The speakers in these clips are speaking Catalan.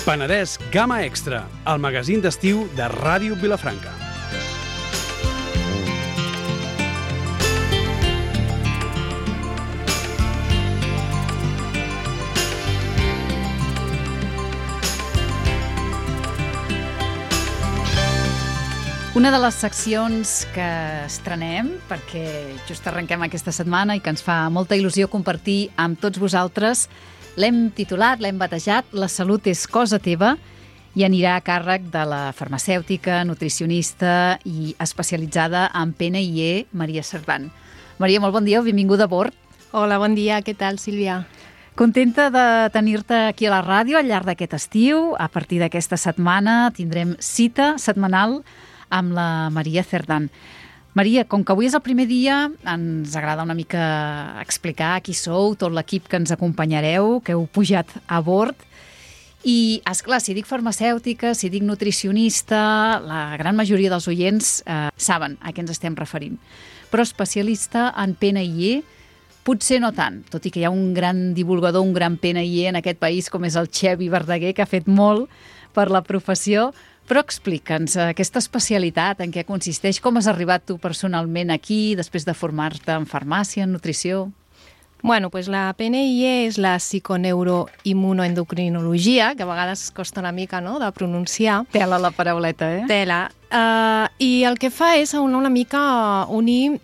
Penedès Gamma Extra, el magazín d'estiu de Ràdio Vilafranca. Una de les seccions que estrenem, perquè just arrenquem aquesta setmana i que ens fa molta il·lusió compartir amb tots vosaltres, l'hem titulat, l'hem batejat La salut és cosa teva i anirà a càrrec de la farmacèutica, nutricionista i especialitzada en PNIE, Maria Cerdán. Maria, molt bon dia, benvinguda a bord. Hola, bon dia, què tal, Sílvia? Contenta de tenir-te aquí a la ràdio al llarg d'aquest estiu. A partir d'aquesta setmana tindrem cita setmanal amb la Maria Cerdán. Maria, com que avui és el primer dia, ens agrada una mica explicar qui sou, tot l'equip que ens acompanyareu, que heu pujat a bord. I, esclar, si dic farmacèutica, si dic nutricionista, la gran majoria dels oients saben a què ens estem referint. Però especialista en PNIE, potser no tant, tot i que hi ha un gran divulgador, un gran PNIE en aquest país, com és el Xevi Verdaguer, que ha fet molt per la professió. Però explica'ns aquesta especialitat, en què consisteix, com has arribat tu personalment aquí, després de formar-te en farmàcia, en nutrició? Bueno, pues la PNIE és la psiconeuro-immunoendocrinologia, que a vegades costa una mica, no?, de pronunciar. Tela la parauleta, eh? Tela. I el que fa és una mica unir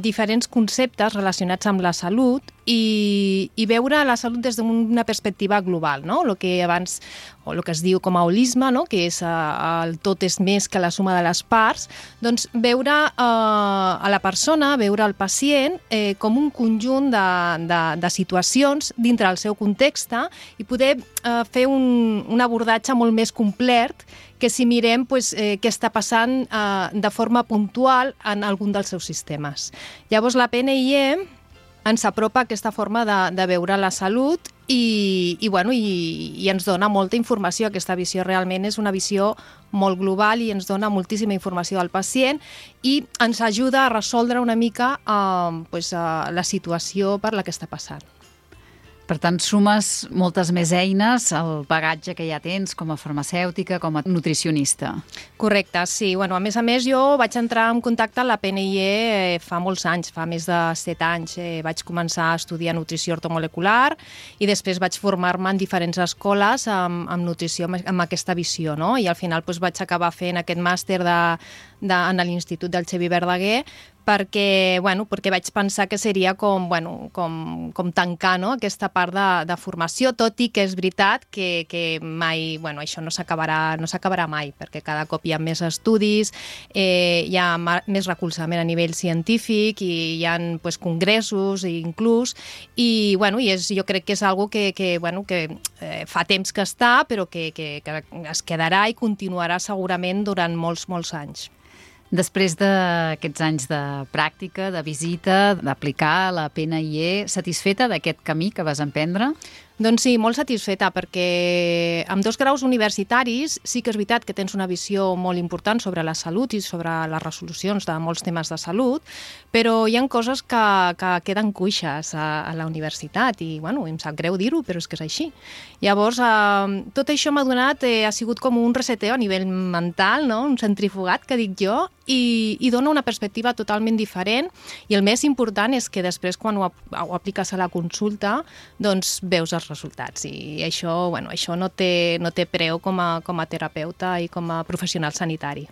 diferents conceptes relacionats amb la salut i veure la salut des d'una perspectiva global, no? El que abans, o el que es diu com a holisme, no?, que és el tot és més que la suma de les parts, doncs veure a la persona, veure el pacient com un conjunt de situacions dintre del seu context i poder fer un abordatge molt més complet que si mirem què està passant de forma puntual en algun dels seus sistemes. Llavors, la PNIE ens apropa a aquesta forma de veure la salut i ens dona molta informació. Aquesta visió realment és una visió molt global i ens dona moltíssima informació al pacient i ens ajuda a resoldre una mica la situació per la que està passant. Per tant, sumes moltes més eines al bagatge que ja tens com a farmacèutica, com a nutricionista. Correcte, sí. A més, jo vaig entrar en contacte amb la PNIE fa molts anys, fa més de 7 anys. Vaig començar a estudiar nutrició ortomolecular i després vaig formar-me en diferents escoles amb nutrició, amb aquesta visió, no? I al final vaig acabar fent aquest màster en l'Institut del Xevi Verdaguer perquè vaig pensar que seria com tancar, no?, aquesta part de formació, tot i que és veritat que mai, això no s'acabarà mai, perquè cada cop hi ha més estudis, hi ha més recolzament a nivell científic i hi ha congressos inclús, i jo crec que és una cosa que fa temps que està, però que es quedarà i continuarà segurament durant molts, molts anys. Després d'aquests anys de pràctica, de visita, d'aplicar la PNIE, satisfeta d'aquest camí que vas emprendre? Doncs sí, molt satisfeta, perquè amb 2 graus universitaris sí que és veritat que tens una visió molt important sobre la salut i sobre les resolucions de molts temes de salut, però hi ha coses que queden cuixes a la universitat i em sap greu dir-ho, però és que és així. Llavors, tot això m'ha donat, ha sigut com un reseteo a nivell mental, no?, un centrifugat, que dic jo, i dona una perspectiva totalment diferent i el més important és que després quan ho apliques a la consulta doncs veus els resultats i això no té preu com a terapeuta i com a professional sanitari.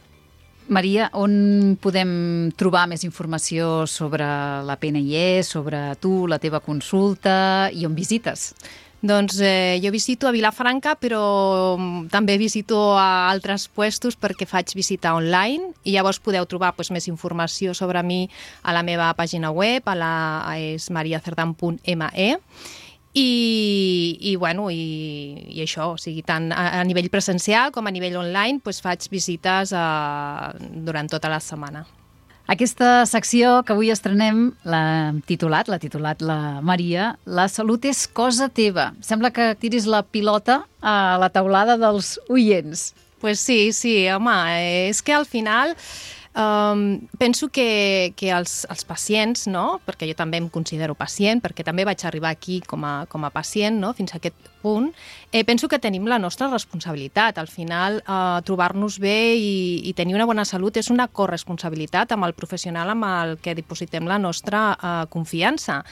Maria, on podem trobar més informació sobre la PNIE, sobre tu, la teva consulta i on visites? Doncs jo visito a Vilafranca, però també visito a altres puestos perquè faig visita online i llavors podeu trobar més informació sobre mi a la meva pàgina web, és mariacerdan.me i això, o sigui, tant a nivell presencial com a nivell online faig visites durant tota la setmana. Aquesta secció que avui estrenem l'ha titulat la Maria, La salut és cosa teva. Sembla que tiris la pilota a la teulada dels oients. Pues sí, home, és que al final Penso que els pacients, no? Perquè jo també em considero pacient, perquè també vaig arribar aquí com a pacient, no? Fins a aquest punt, penso que tenim la nostra responsabilitat. Al final, trobar-nos bé i tenir una bona salut és una corresponsabilitat amb el professional amb el que dipositem la nostra confiança.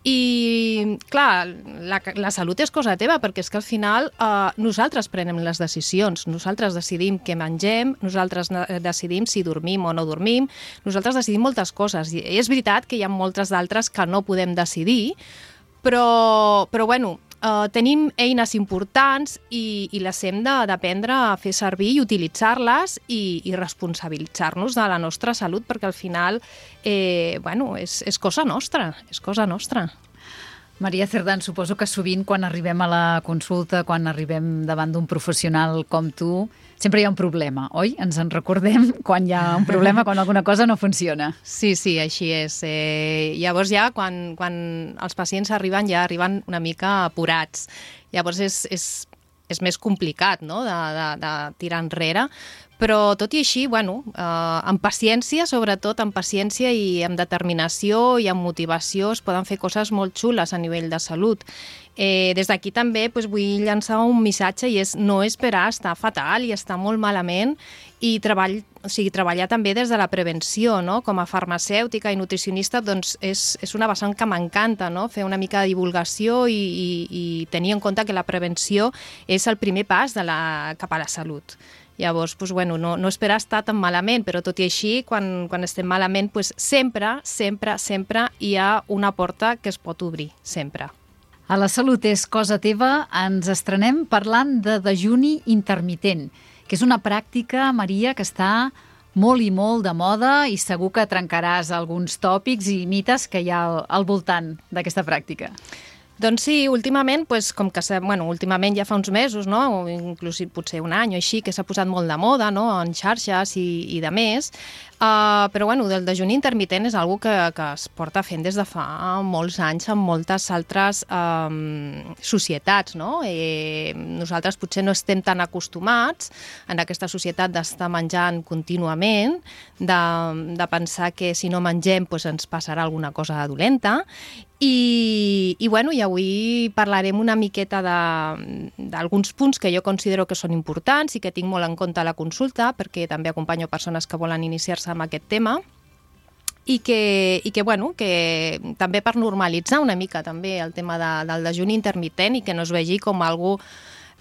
I, clar, la salut és cosa teva, perquè és que al final nosaltres prenem les decisions, nosaltres decidim què mengem, nosaltres decidim si dormim o no dormim, nosaltres decidim moltes coses. I és veritat que hi ha moltes d'altres que no podem decidir, però bueno, tenim eines importants i les hem d'aprendre a fer servir i utilitzar-les i responsabilitzar-nos de la nostra salut, perquè al final bueno, és cosa nostra, és cosa nostra. Maria Cerdán, suposo que sovint quan arribem a la consulta, quan arribem davant d'un professional com tu, sempre hi ha un problema, oi? Ens en recordem quan hi ha un problema, quan alguna cosa no funciona. Sí, així és. Llavors ja quan els pacients arriben, ja arriben una mica apurats. Llavors és més complicat, no?, de tirar enrere. Però tot i així, bueno, amb paciència, sobretot amb paciència i amb determinació i amb motivació es poden fer coses molt xules a nivell de salut. Des d'aquí també vull llançar un missatge i és no esperar estar fatal i estar molt malament i treballar també des de la prevenció, no? Com a farmacèutica i nutricionista doncs és una vessant que m'encanta, no? Fer una mica de divulgació i tenir en compte que la prevenció és el primer pas cap a la salut. Llavors, bueno, no esperar estar tan malament, però tot i així, quan estem malament, sempre hi ha una porta que es pot obrir, sempre. A La Salut és cosa teva ens estrenem parlant de dejuni intermitent, que és una pràctica, Maria, que està molt i molt de moda i segur que trencaràs alguns tòpics i mites que hi ha al voltant d'aquesta pràctica. Doncs sí, últimament, últimament ja fa uns mesos, no? O inclús potser un any o així, que s'ha posat molt de moda, no?, en xarxes i de més. Però bueno, el dejuni intermitent és una cosa que es porta fent des de fa molts anys en moltes altres societats, no? Nosaltres potser no estem tan acostumats en aquesta societat d'estar menjant contínuament, de pensar que si no mengem ens passarà alguna cosa dolenta. I avui parlarem una miqueta d'alguns punts que jo considero que són importants i que tinc molt en compte a la consulta, perquè també acompanyo persones que volen iniciar-se amb aquest tema i que també per normalitzar una mica també el tema del dejuni intermitent i que no es vegi com algo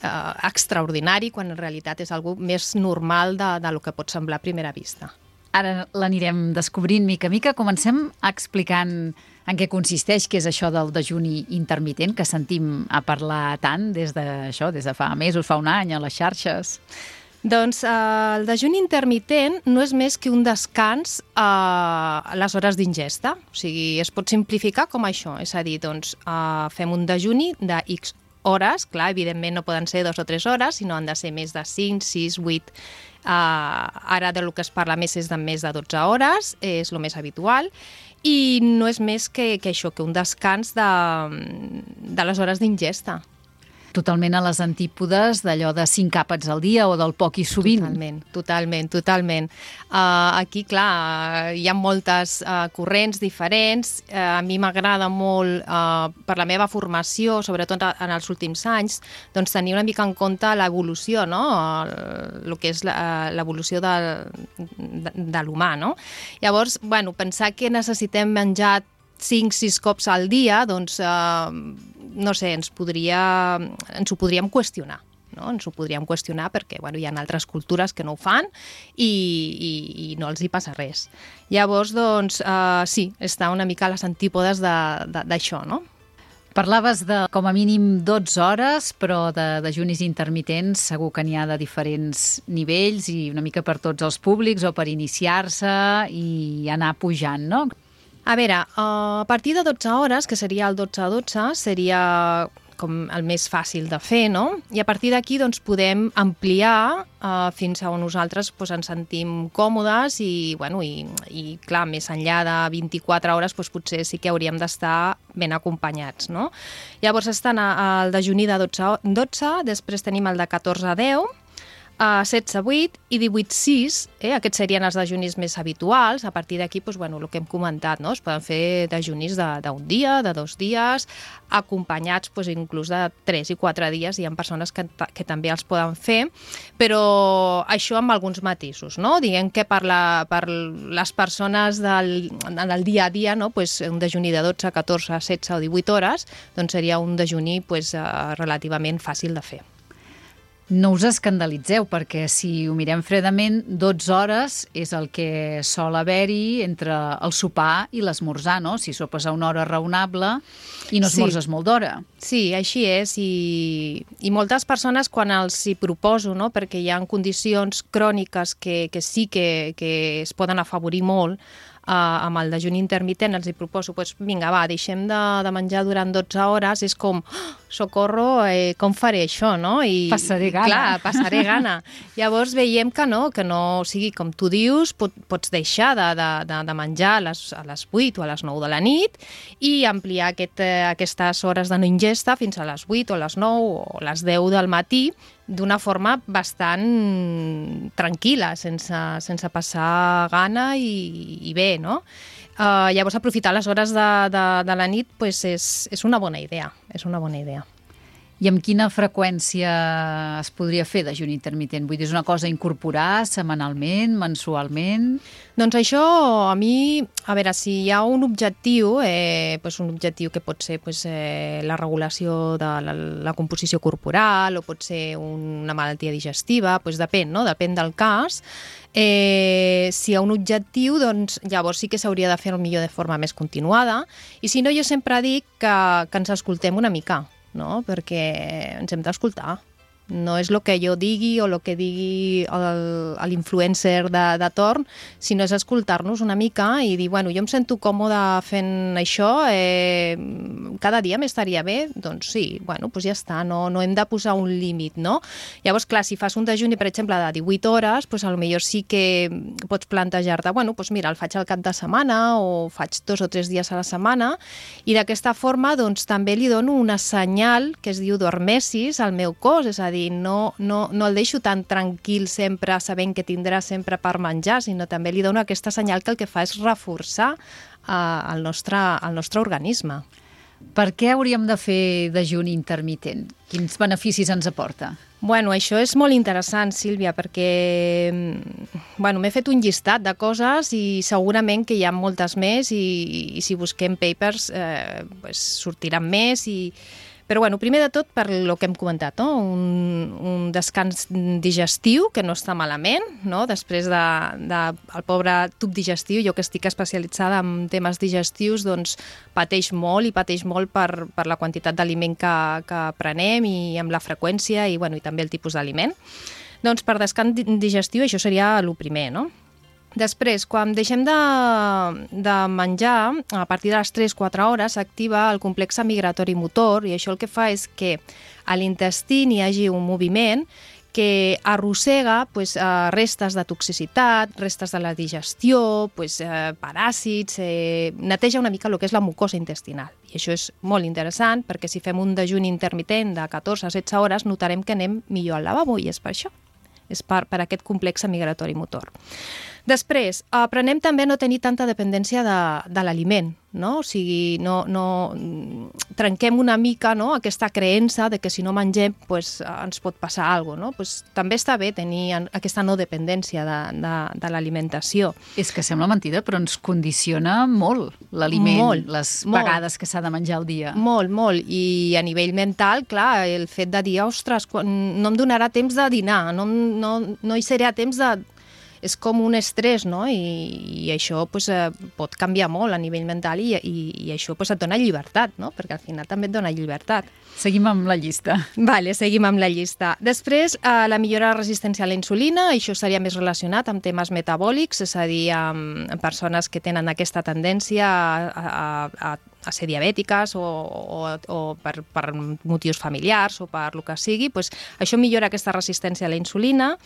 extraordinari quan en realitat és algo més normal del que pot semblar a primera vista. Ara l'anirem descobrint mica a mica. Comencem explicant en què consisteix, què és això del dejuni intermitent, que sentim a parlar tant des de fa mesos, fa un any, a les xarxes. Doncs el dejuni intermitent no és més que un descans a les hores d'ingesta. O sigui, es pot simplificar com això. És a dir, doncs, fem un dejuni de X hores. Clar, evidentment no poden ser 2 o 3 hores, sinó han de ser més de 5, 6, 8. Ara del que es parla més és de més de 12 hores, és el més habitual. I no és més que això, que un descans de les hores d'ingesta. Totalment a les antípodes d'allò de 5 àpats al dia o del poc i sovint. Totalment. Aquí, clar, hi ha moltes corrents diferents. A mi m'agrada molt, per la meva formació, sobretot en els últims anys, doncs tenir una mica en compte l'evolució, no? El que és l'evolució de l'humà, no? Llavors, pensar que necessitem menjar 5-6 cops al dia, doncs, no sé, ens ho podríem qüestionar. No? Ens ho podríem qüestionar perquè hi ha altres cultures que no ho fan i no els hi passa res. Llavors, doncs, sí, està una mica a les antípodes d'això, no? Parlaves de com a mínim 12 hores, però de dejunis intermitents segur que n'hi ha de diferents nivells i una mica per tots els públics o per iniciar-se i anar pujant, no? A veure, a partir de 12 hores, que seria el 12-12, seria com el més fàcil de fer, no? I a partir d'aquí doncs, podem ampliar fins a on nosaltres ens sentim còmodes i clar, més enllà de 24 hores potser sí que hauríem d'estar ben acompanyats, no? Llavors estan el dejuni de 12-12, després tenim el de 14-10, 16-8 i 18-6, aquests serien els dejunis més habituals. A partir d'aquí, doncs, el que hem comentat, no? Es poden fer dejunis d'un dia, de 2 dies, acompanyats inclús de 3 i 4 dies. Hi ha persones que també els poden fer, però això amb alguns matisos, no? Diguem que per les persones en el dia a dia, no? Un dejuni de 12, 14, 16 o 18 hores doncs seria un dejuni relativament fàcil de fer. No us escandalitzeu, perquè si ho mirem fredament, 12 hores és el que sol haver-hi entre el sopar i l'esmorzar, no? Si sopes a una hora raonable i no esmorzes molt d'hora. Sí, així és, i moltes persones quan els hi proposo, no? Perquè hi ha condicions cròniques que sí que es poden afavorir molt, amb el dejuni intermitent els hi proposo, vinga, va, deixem de menjar durant 12 hores, és com, socorro, com faré això, no? Passaré gana. Clar, passaré gana. Llavors veiem que no, o sigui, com tu dius, pots deixar de menjar a les 8 o a les 9 de la nit i ampliar aquestes hores de no ingesta fins a les 8 o a les 9 o a les 10 del matí, d'una forma bastant tranquil·la, sense passar gana i bé, no? Llavors, aprofitar les hores de la nit és una bona idea, I amb quina freqüència es podria fer dejuni intermitent? Vull dir, és una cosa a incorporar setmanalment, mensualment? Doncs això, a mi, a veure, si hi ha un objectiu, un objectiu que pot ser la regulació de la composició corporal o pot ser una malaltia digestiva, depèn, no? Depèn del cas. Si hi ha un objectiu, doncs llavors sí que s'hauria de fer millor de forma més continuada, i si no, jo sempre dic que ens escoltem una mica, no? Perquè ens hem d'escoltar. No és el que jo digui o el que digui l'influencer de torn, sinó és escoltar-nos una mica i dir, jo em sento còmode fent això, cada dia m'estaria bé, doncs sí, ja està, no hem de posar un límit, no? Llavors, clar, si fas un dejuni, per exemple, de 18 hores, potser sí que pots plantejar-te, mira, el faig al cap de setmana o faig 2 o 3 dies a la setmana, i d'aquesta forma, doncs, també li dono una senyal que es diu d'hormesis al meu cos, és a dir, no el deixo tan tranquil sempre sabent que tindrà sempre per menjar, sinó també li dono aquesta senyal que el que fa és reforçar el nostre organisme. Per què hauríem de fer dejuni intermitent? Quins beneficis ens aporta? Això és molt interessant, Sílvia, perquè m'he fet un llistat de coses i segurament que hi ha moltes més i si busquem papers sortiran més Però, primer de tot, per lo que hem comentat, no? Un descans digestiu, que no està malament, no? Després del pobre tub digestiu, jo que estic especialitzada en temes digestius, doncs pateix molt per la quantitat d'aliment que prenem i amb la freqüència i també el tipus d'aliment. Doncs per descans digestiu això seria el primer, no? Després, quan deixem de menjar, a partir de les 3-4 hores s'activa el complex migratori motor i això el que fa és que a l'intestí hi hagi un moviment que arrossega restes de toxicitat, restes de la digestió, paràsits, neteja una mica el que és la mucosa intestinal. I això és molt interessant perquè si fem un dejuni intermitent de 14-16 hores notarem que anem millor al lavabo i és per això. És per aquest complex migratori motor. Després, aprenem també a no tenir tanta dependència de l'aliment, no? O sigui, trenquem una mica, no? Aquesta creença de que si no mengem ens pot passar alguna cosa, no? També està bé tenir aquesta no dependència de l'alimentació. És que sembla mentida, però ens condiciona molt l'aliment, les vegades que s'ha de menjar al dia. Molt, molt. I a nivell mental, clar, el fet de dir, ostres, no em donarà temps de dinar, no hi serà temps de... És com un estrès, no? I això pot canviar molt a nivell mental i això et dona llibertat, no? Perquè al final també et dona llibertat. Seguim amb la llista. Vale, seguim amb la llista. Després, la millora de la resistència a la insulina, això seria més relacionat amb temes metabòlics, és a dir, amb persones que tenen aquesta tendència a a ser diabètiques o per motius familiars o per el que sigui, doncs això millora aquesta resistència a la insulina.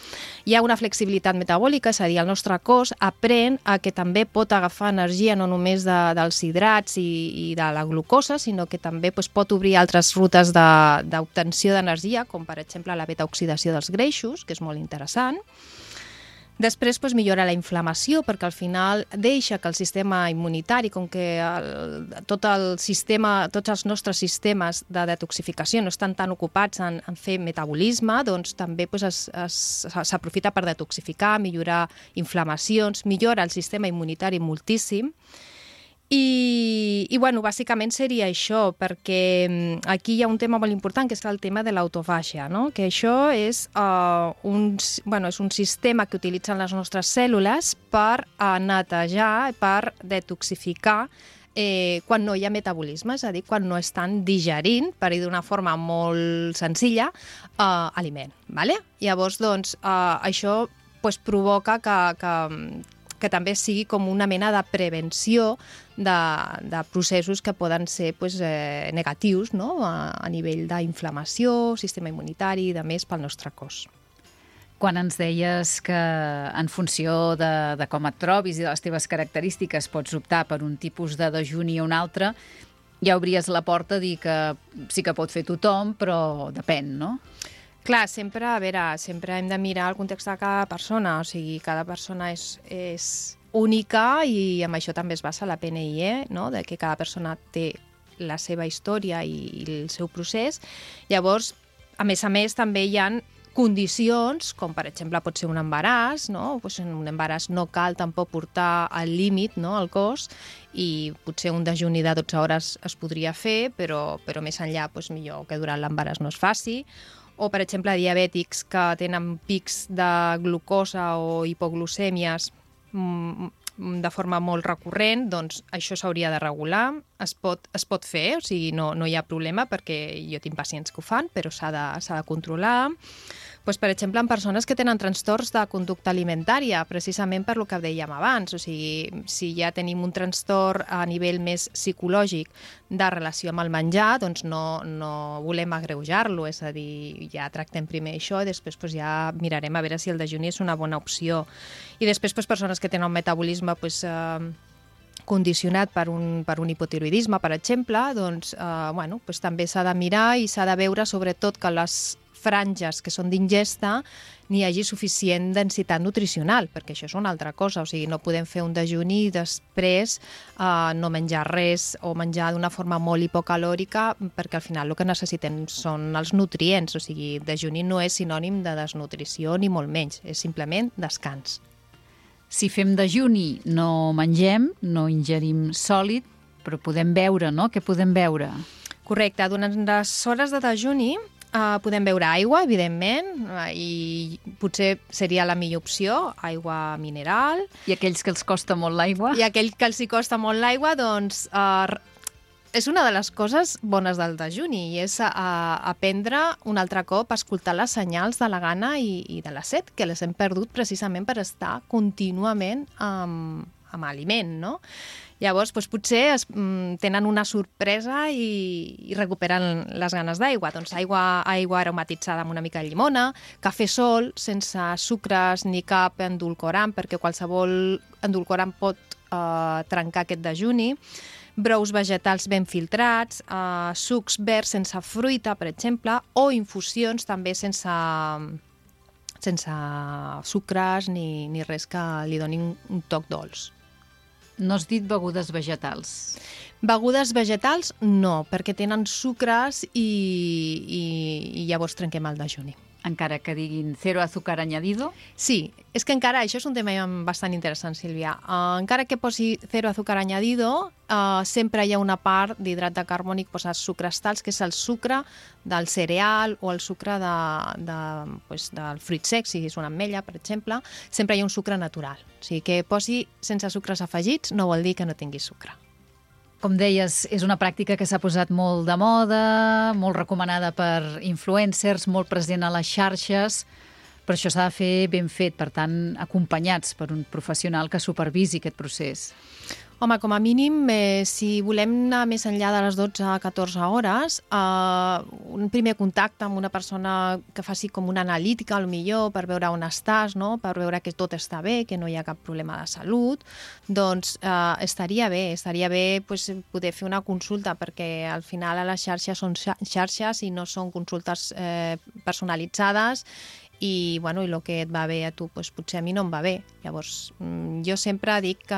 Hi ha una flexibilitat metabòlica, és a dir, el nostre cos aprèn a que també pot agafar energia no només dels hidrats i de la glucosa, sinó que també pot obrir altres rutes d'obtenció d'energia, com per exemple la beta-oxidació dels greixos, que és molt interessant. Després millora la inflamació, perquè al final deixa que el sistema immunitari, com que tots els nostres sistemes de detoxificació no estan tan ocupats en fer metabolisme, doncs també s'aprofita per detoxificar, millorar inflamacions, millora el sistema immunitari moltíssim. I bueno, bàsicament seria això, perquè aquí hi ha un tema molt important, que és el tema de l'autofàgia, no? Que això és un sistema que utilitzen les nostres cèl·lules per netejar, per detoxificar quan no hi ha metabolisme, és a dir, quan no estan digerint, per dir d'una forma molt senzilla, aliment. Vale? Llavors, doncs, això provoca que també sigui com una mena de prevenció de processos que poden ser negatius, no? A nivell d'inflamació, sistema immunitari i de més pel nostre cos. Quan ens deies que en funció de com et trobis i de les teves característiques pots optar per un tipus de dejuni o un altre, ja obries la porta a dir que sí que pot fer tothom, però depèn, no? Clar, sempre hem de mirar el context de cada persona, o sigui, cada persona és única i amb això també es basa la PNIE, no? De que cada persona té la seva història i el seu procés. Llavors, a més, també hi ha condicions, com per exemple pot ser un embaràs, no? Pues en un embaràs no cal tampoc portar al límit, no, el cos, i potser un dejuni de 12 hores es podria fer, però més enllà millor que durant l'embaràs no es faci. O, per exemple, diabètics que tenen pics de glucosa o hipoglucèmies de forma molt recurrent, doncs això s'hauria de regular. Es pot fer, o sigui, no hi ha problema, perquè jo tinc pacients que ho fan, però s'ha de controlar. Doncs, per exemple, en persones que tenen trastorns de conducta alimentària, precisament per lo que dèiem abans. O sigui, si ja tenim un trastorn a nivell més psicològic de relació amb el menjar, doncs no volem agreujar-lo, és a dir, ja tractem primer això i després ja mirarem a veure si el dejuni és una bona opció. I després, persones que tenen un metabolisme condicionat per un hipotiroidisme, per exemple, doncs també s'ha de mirar i s'ha de veure sobretot que les franges que són d'ingesta n'hi hagi suficient densitat nutricional, perquè això és una altra cosa, o sigui, no podem fer un dejuni i després no menjar res o menjar d'una forma molt hipocalòrica, perquè al final el que necessitem són els nutrients, o sigui, dejuni no és sinònim de desnutrició ni molt menys, és simplement descans. Si fem dejuni no mengem, no ingerim sòlid, però podem beure, no? Què podem beure? Correcte, durant les hores de dejuni podem beure aigua, evidentment, i potser seria la millor opció, aigua mineral. I aquells que els costa molt l'aigua? I aquells que els costa molt l'aigua, doncs és una de les coses bones del dejuni, i és aprendre un altre cop a escoltar les senyals de la gana i de la set, que les hem perdut precisament per estar contínuament amb aliment, no? Llavors, potser tenen una sorpresa i recuperen les ganes d'aigua. Doncs aigua aromatitzada amb una mica de llimona, cafè sol, sense sucres ni cap endulcorant, perquè qualsevol endulcorant pot trencar aquest dejuni, brous vegetals ben filtrats, sucs verds sense fruita, per exemple, o infusions també sense sucres ni res que li donin un toc dolç. No has dit begudes vegetals. Begudes vegetals no, perquè tenen sucres i llavors trenquem el dejuni. Encara que diguin cero azúcar añadido? Sí, és que encara, això és un tema bastant interessant, Sílvia. Encara que posi cero azúcar añadido, sempre hi ha una part d'hidrat de carbònic, els sucres tals, que és el sucre del cereal o el sucre del fruit sec, si és una ametlla, per exemple, sempre hi ha un sucre natural. O sigui, que posi sense sucres afegits no vol dir que no tingui sucre. Com deies, és una pràctica que s'ha posat molt de moda, molt recomanada per influencers, molt present a les xarxes, Però això s'ha de fer ben fet, per tant, acompanyats per un professional que supervisi aquest procés. Home, com a mínim, si volem anar més enllà de les 12 a 14 hores, un primer contacte amb una persona que faci com una analítica, millor per veure on estàs, no? Per veure que tot està bé, que no hi ha cap problema de salut, doncs estaria bé pues, poder fer una consulta, perquè al final a les xarxes són xarxes i no són consultes personalitzades, i bueno, i el que et va bé a tu doncs, potser a mi no em va bé. Llavors, jo sempre dic que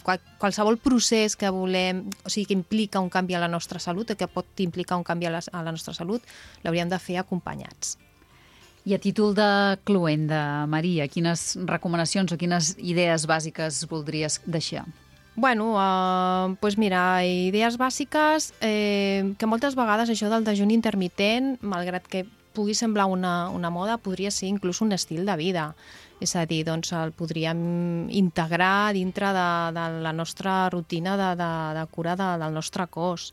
qualsevol procés que volem, o sigui, que implica un canvi a la nostra salut, que pot implicar un canvi a la nostra salut, l'hauríem de fer acompanyats. I a títol de cloenda, Maria, quines recomanacions o quines idees bàsiques voldries deixar? Bueno, doncs mira, idees bàsiques, que moltes vegades això del dejuni intermitent, malgrat que pugui semblar una moda, podria ser inclús un estil de vida. És a dir, doncs el podríem integrar dintre de la nostra rutina de cura del nostre cos.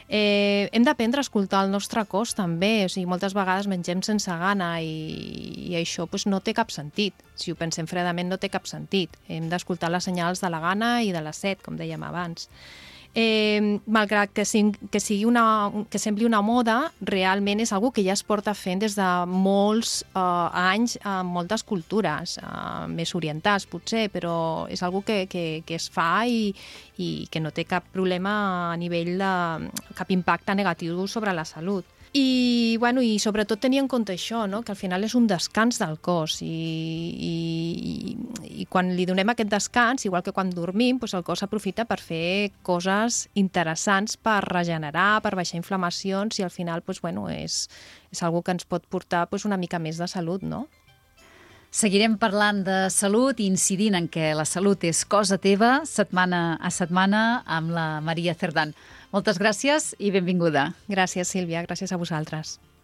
Hem d'aprendre a escoltar el nostre cos també, o sigui, moltes vegades mengem sense gana i això doncs, no té cap sentit. Si ho pensem fredament no té cap sentit. Hem d'escoltar les senyals de la gana i de la set, com dèiem abans. Malgrat que sembli una moda, realment és algo que ja es porta fent des de molts anys en moltes cultures, més orientals potser, però és algo que es fa i que no té cap problema a nivell de cap impacte negatiu sobre la salut. I sobretot tenir en compte això, no? Que al final és un descans del cos i quan li donem aquest descans, igual que quan dormim, doncs el cos aprofita per fer coses interessants per regenerar, per baixar inflamacions i al final és algo que ens pot portar una mica més de salut, no? Seguirem parlant de salut i incidint en què la salut és cosa teva, setmana a setmana, amb la Maria Cerdán. Moltes gràcies i benvinguda. Gràcies, Sílvia. Gràcies a vosaltres.